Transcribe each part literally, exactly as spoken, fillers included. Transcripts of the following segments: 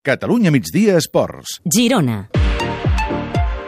Catalunya migdia esports. Girona.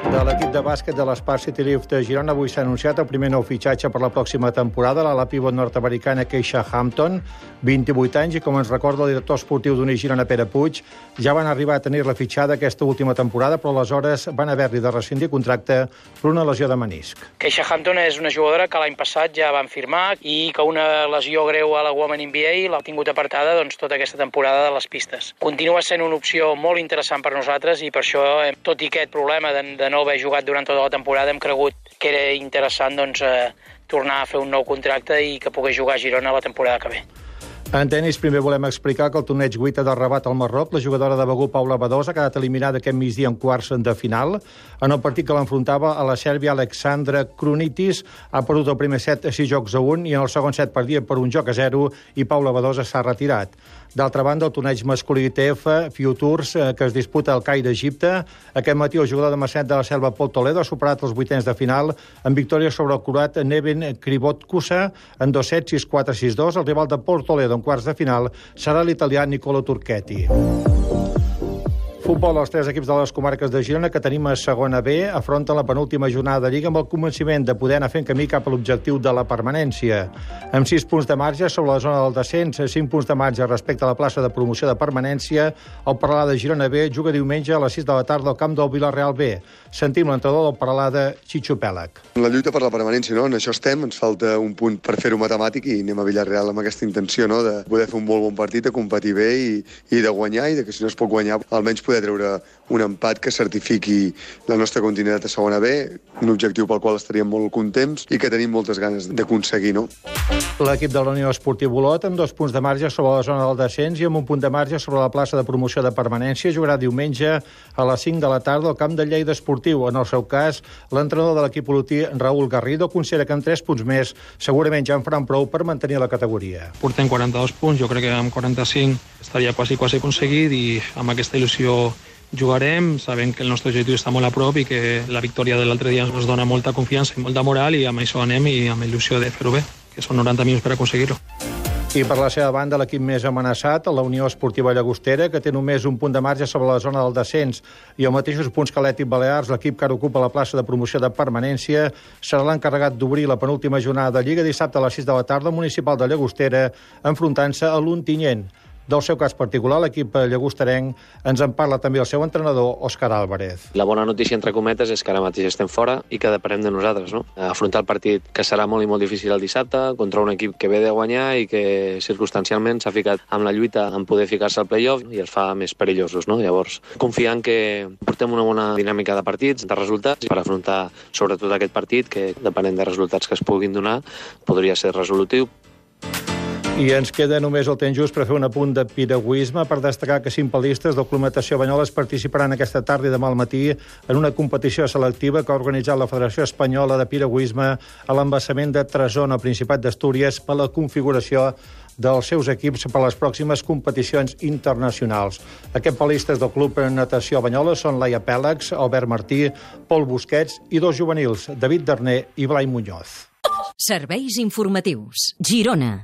De l'equip de bàsquet de l'Spar City Lift de Girona avui s'ha anunciat el primer nou fitxatge per la pròxima temporada, l'ala pivot nord-americana Keisha Hampton, vint-i-vuit anys, i com ens recorda el director esportiu d'Uni Girona, Pere Puig, ja van arribar a tenir-la fitxada aquesta última temporada, però aleshores van haver-li de rescindir contracte per una lesió de menisc. Keisha Hampton és una jugadora que l'any passat ja van firmar i que una lesió greu a la Women N B A l'ha tingut apartada doncs, tota aquesta temporada de les pistes. Continua sent una opció molt interessant per nosaltres i per això, tot i aquest problema de, de no haver jugat durant tota la temporada, hem cregut que era interessant doncs, eh, tornar a fer un nou contracte i que pogués jugar a Girona la temporada que ve. En tenis, primer volem explicar que el torneig Guita de Rabat al Marroc, la jugadora de Begur, Paula Badosa, ha quedat eliminada aquest migdia en quarts de final. En el partit que l'enfrontava a la Sèrbia, Alexandra Krunitis ha perdut el primer set a sis jocs a un i en el segon set perdia per un joc a zero i Paula Badosa s'ha retirat. D'altra banda, el torneig masculí I T F Futures, eh, que es disputa al Caire, Egipte. Aquest matí el jugador de Maçanet de la Selva, Pol Toledo, ha superat els vuitens de final en victòria sobre el croat Neven Krivotkusa en dos sets, sis quatre, sis dos. El rival de Pol Toledo en quarts de final serà l'italià Nicolo Turchetti. Futbol, els tres equips de les comarques de Girona que tenim a segona B afronten la penúltima jornada de Lliga amb el convenciment de poder anar fent camí cap a l'objectiu de la permanència. Amb sis punts de marge sobre la zona del descens, cinc punts de marge respecte a la plaça de promoció de permanència, el Peralada de Girona B juga diumenge a les sis de la tarda al camp del Vilareal B. Sentim l'entrenador del Peralada, Chicho Pèlag. La lluita per la permanència, no? En això estem, ens falta un punt per fer-ho matemàtic i anem a Vilareal amb aquesta intenció, no? De poder fer un molt bon partit, de competir bé i, i de guanyar, i de que si no es pot guanyar, almenys poder treure un empat que certifiqui la nostra continuïtat a segona B, un objectiu pel qual estaríem molt contents i que tenim moltes ganes d'aconseguir, no? L'equip de la Unió Esportiva Olot, amb dos punts de marge sobre la zona del descens i amb un punt de marge sobre la plaça de promoció de permanència, jugarà diumenge a les cinc de la tarda al camp de Lleida Esportiu. En el seu cas, l'entrenador de l'equip olotí, Raúl Garrido, considera que amb tres punts més segurament ja en faran prou per mantenir la categoria. Portem quaranta-dos punts, jo crec que amb quaranta-cinc estaria quasi, quasi aconseguit i amb aquesta il·lusió jugarem, sabent que el nostre objectiu està molt a prop i que la victòria de l'altre dia ens dona molta confiança i molta moral i amb això anem i amb il·lusió de fer-ho bé, que són noranta minuts per aconseguir-ho. I per la seva banda, l'equip més amenaçat, la Unió Esportiva Llagostera, que té només un punt de marge sobre la zona del descens i els mateixos punts que l'Atlètic Balears, l'equip que ara ocupa la plaça de promoció de permanència, serà l'encarregat d'obrir la penúltima jornada de Lliga dissabte a les sis de la tarda al municipal de Llagostera, enfrontant-se a l'Ontinyent. Del seu cas particular, l'equip llagosterenc, ens en parla també el seu entrenador, Òscar Álvarez. La bona notícia, entre cometes, és que ara mateix estem fora i que depenem de nosaltres, no? Afrontar el partit que serà molt i molt difícil el dissabte contra un equip que ve de guanyar i que circumstancialment s'ha ficat amb la lluita en poder ficar-se al play-off i els fa més perillosos, no? Llavors, confiant que portem una bona dinàmica de partits, de resultats, per afrontar sobretot aquest partit que, depenent de resultats que es puguin donar, podria ser resolutiu. I ens queda només el temps just per fer un apunt de piragüisme, per destacar que cinc pal·listes del Club Natació Banyoles participaran aquesta tarda i demà al matí en una competició selectiva que ha organitzat la Federació Espanyola de Piragüisme a l'embassament de Tresona, al Principat d'Astúries, per la configuració dels seus equips per a les pròximes competicions internacionals. Aquests pal·listes del Club Natació Banyoles són Laia Pèlags, Albert Martí, Pol Busquets i dos juvenils, David Darner i Blai Muñoz. Serveis informatius. Girona.